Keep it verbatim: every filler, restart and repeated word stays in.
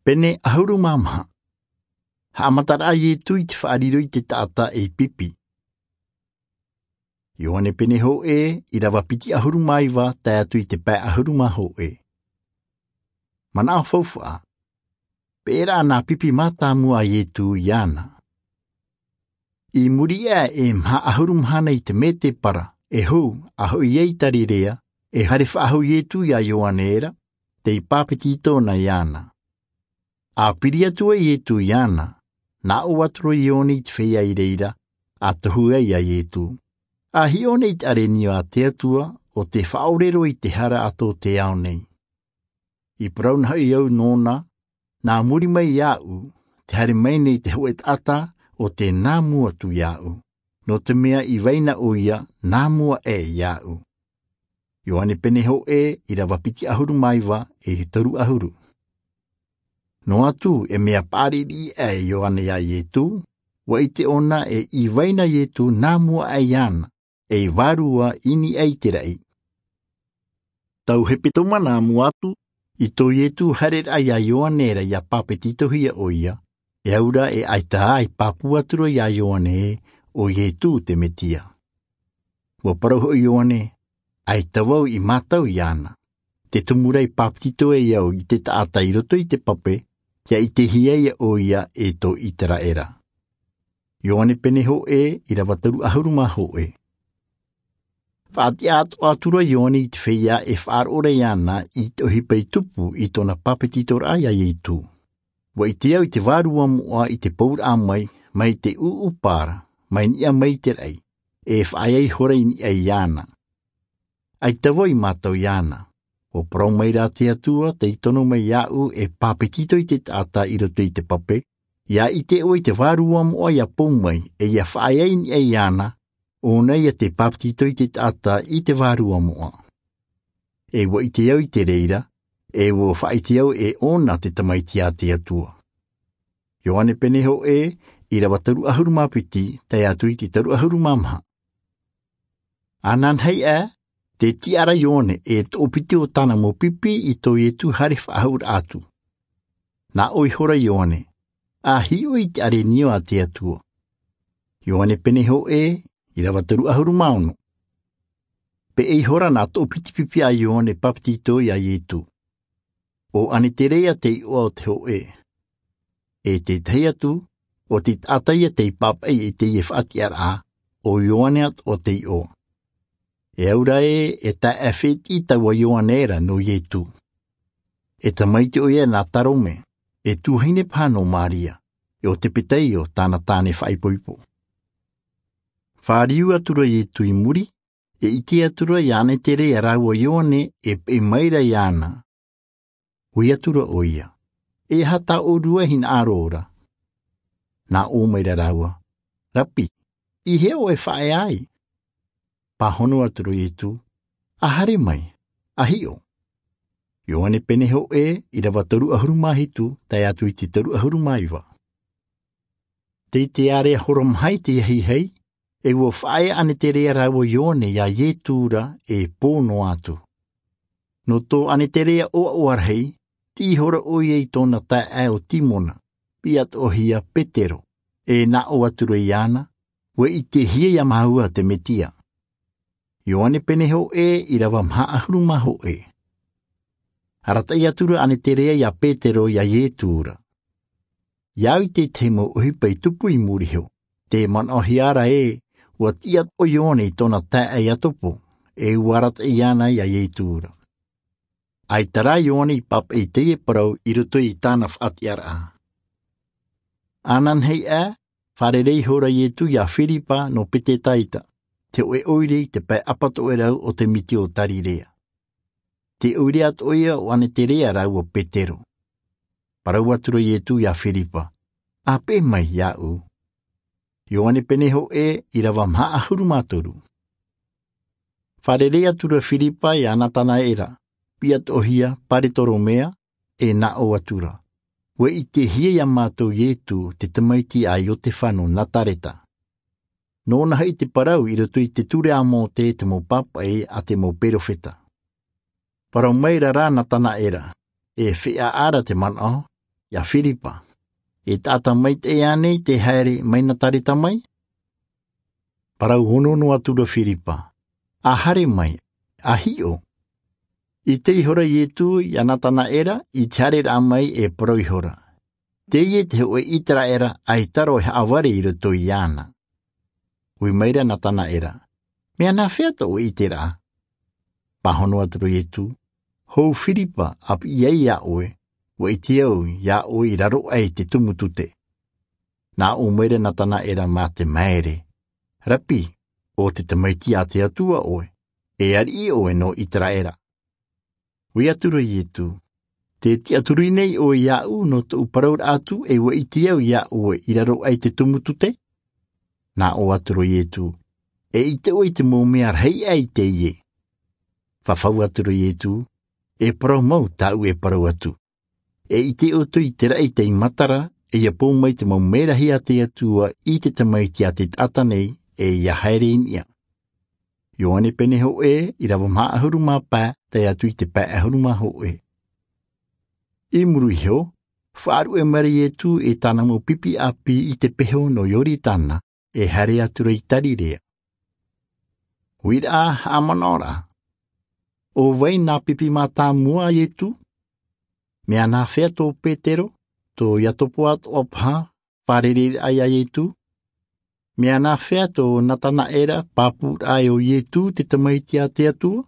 Pene ʻahuru mā maha. Haʻamataraʻa a Ietu i te faʻariro i te taʻata ei pipi. Ioane pene hōʻē, irava piti ʻahuru mā iva, tae atu i te pae ʻahuru mā hōʻē. Manaʻo faufaʻa. Peʻeraʻa nā pipi mātāmua a Ietu iāna. I muri aʻe e maha ʻahuru mahana i te mētēpara, e hou, a hoʻi ai i Tarirea, e haere faʻahou Ietu iā Ioane ra, tei pāpetito na iāna. A piri atu ai Ietu iāna, nā ʻō atu ra Ioane i te feiā i reira, a tohu ai iā Ietu. A hiʻo nei i te ʻārenio a te Atua, ʻo tē faʻaʻore roa i te hara a tō te ao nei. I parau na hoʻi au nōna, nā muri mai iāʻu, tē haere mai nei te hōʻē taʻata, ʻo tē nā mua atu iāʻu. Nō te mea i vai na ʻoia, nā mua aʻe iāʻu. Ioane pene hōʻē, irava piti ʻahuru mā iva, e toru ʻahuru. Noa atu, e mea paʻari riʻi aʻe Ioane iā Ietu, ʻua ʻite ʻōna e i vai na Ietu nā mua aʻe iāna, ei vārua i niʻa i te raʻi. Tau hepetoma nā mua atu, i tō Ietu haereraʻa iā Ioane ra ʻia pāpetitohia ʻoia, e au ra e ʻaita ā i pāpū atu ra iā Ioane ē, ʻo Ietu te Metia. ʻUa parau hoʻi Ioane, ʻaita vau i mātau iāna. Te tumu ra i pāpetito ai au i te taʻata i roto i te pape, ʻia ʻitehia ʻoia e tō ʻĪteraʻera. Ioane pene hōʻē, irava toru ʻahuru mā hōʻē. Faʻatiʻa atoʻa atu ra Ioane i te feiā e faʻaroʻo ra iāna i te ʻohipa i tupu i tōna pāpetitoraʻa iā Ietu. ʻUa ʻite au i te vārua moʻa i te pouraʻa mai, mai te ʻūʻūpā ra, mai niʻa mai i te raʻi, e faʻaea ihora i niʻa iāna. ʻAita vau i mātau iāna. ʻUa parau mai ra te Atua tei tono mai iāʻu e pāpetito i te taʻata i roto i te pape, ʻia ʻite ʻoe i te vārua moʻa ʻia pou mai, e ʻia faʻaea i niʻa iāna, ʻōna ïa tē pāpetito i te taʻata i te vārua moʻa. E ʻua ʻite au i te reira, e ʻua faʻaʻite au e ʻōna te Tamaiti a te Atua. Ioane pene hōʻē, irava toru ʻahuru mā piti, tae atu i te toru ʻahuru mā maha. Ananahi aʻe, tē tiʻa ra Ioane e toʻopiti o tāna mau pipi i tō Ietu haere faʻahouraʻa atu. Nā ʻō ihora Ioane, a hiʻo i te ʻārenio a te Atua. Ioane pene hōʻē, irava toru ʻahuru mā ono. Peʻe ihora nā toʻopiti pipi a Ioane Pāpetito iā Ietu. ʻO Aneterea te iʻoa o te hōʻē. E te tahi atu, ʻo te taʻata ïa tei pāpaʻi i teie faʻatiʻaraʻa, ʻo Ioane atoʻa te iʻoa. E au ra ē, e taeaʻe fētiʻi taua Ioane ra nō Ietu. E tamaiti ʻoia nā Tarome, e tuahine paha nō Maria, e ʻo Tepeteio tāna tāne faʻaipoipo. Fāriu atu ra Ietu i muri, e ʻite atu ra iā Aneterea rāua Ioane e peʻe mai ra iāna. ʻOi atu ra ʻoia, e aha tā ʻōrua hinaʻaro ra? Nā ʻō mai ra rāua, Rapi, i hea ʻoe e faʻaea ai? Pāhono atu ra Ietu, A haere mai, a hiʻo. Ioane pene hōʻē, irava toru ʻahuru mā hitu, tae atu i te toru ʻahuru mā iva. Tei te ārea hora maha i te ahiahi, e ʻua faʻaea Aneterea rāua Ioane iā Ietu ra e pō noa atu. Nō tō Aneterea ʻoaʻoa rahi, tiʻi ihora ʻoia i tōna taeaʻe ʻo Timona, piʻi atoʻahia Petero, e nā ʻō atu ra iāna, ʻUa ʻitehia iā māua te Metia. Ioane pene hōʻē, irava maha ʻahuru mā hōʻē. Arataʻi atu ra Aneterea iā Petero iā Ietu ra. ʻIa au i te tahi mau ʻohipa i tupu i muri iho, tē manaʻohia ra ē, ʻua tiʻa atoʻa Ioane i tōna taeaʻe Iakobo, e ʻua arataʻi iāna iā Ietu ra. ʻAita rā Ioane i pāpaʻi i teie parau i roto i tāna faʻatiʻaraʻa. Ananahi aʻe, fārerei ihora Ietu iā Firipa nō Petetaita, te hōʻē ʻoire i te pae ʻapatoʻerau o te miti o Tarirea. Te ʻoire atoʻa ïa o Aneterea rāua Petero. Parau atu ra Ietu iā Firipa, A peʻe mai iāʻu. Ioane pene hōʻē, irava maha ʻahuru mā toru. Fārerei atu ra Firipa iā Natanaera, piʻi atoʻahia Paretolomea, e nā ʻō atu ra, ʻUa ʻitehia iā mātou Ietu te tamaiti a Iotefa nō Nazareta. Nōna hoʻi te parau i roto i te ture a Mōte, te mau pāpaʻi a te mau perofeta. Parau mai ra rā Natanaera, E feiā ra te manaʻo, ia firipa, e taʻata maitaʻi ānei te haere mai nazareta mai? Parau ono noa atu ra firipa, a haere mai, a hiʻo. I tei ihora iesu ia natanaela i te haereraʻa mai e parau ihora, teie te hoʻe iseraela ʻaita rā e haʻavare i roto iāna. Ui maira natanaela, mea nāfea tō ʻoe ʻiteraʻa? Pāhono atu ra iesu, hou firipa, a piʻi ai iā ʻoe, ua ʻite au iā ʻoe i raro aʻe i te tumu tute. Nā ʻō maira natanaela mā te maere, rabi, ʻo te tamaiti a te atua ʻoe, e ariʻi ʻoe nō iseraela. Ui atu ra iesu, te tiʻaturi nei ʻoe iāʻu nō tōʻu parauraʻa atu e ua ʻite au iā ʻoe i raro aʻe i te tumu tute? Nā ʻō atu ra iesu, e ʻite ʻoe i te mau mea rahi aʻe i teie. Fafau atu ra iesu, e parau mau tāʻu e parau atu, e ʻite ʻoutou i te raʻi tei matara, e ia pou mai te mau mea rahi a te atua i te tamaiti a te taʻata nei, e ia haere i niʻa. Ioane pene hoʻe, irava maha ʻahuru mā pae tae atu i te pae ʻahuru mā hoʻe. I muri iho, faʻaruʻe maira iesu e tāna mau pipi ʻāpī i te peho nō ioritana, e haere atu ra i galileia. Uiraʻa, haʻamanaʻoraʻa, ʻo vai nā pipi mātāmua a iesu? Mea nāfea tō petero, tō iakobo atoʻa paha, fārereiraʻa iā iesu? Mea nāfea tō natanaela pāpūraʻa ʻo iesu te tamaiti a te atua?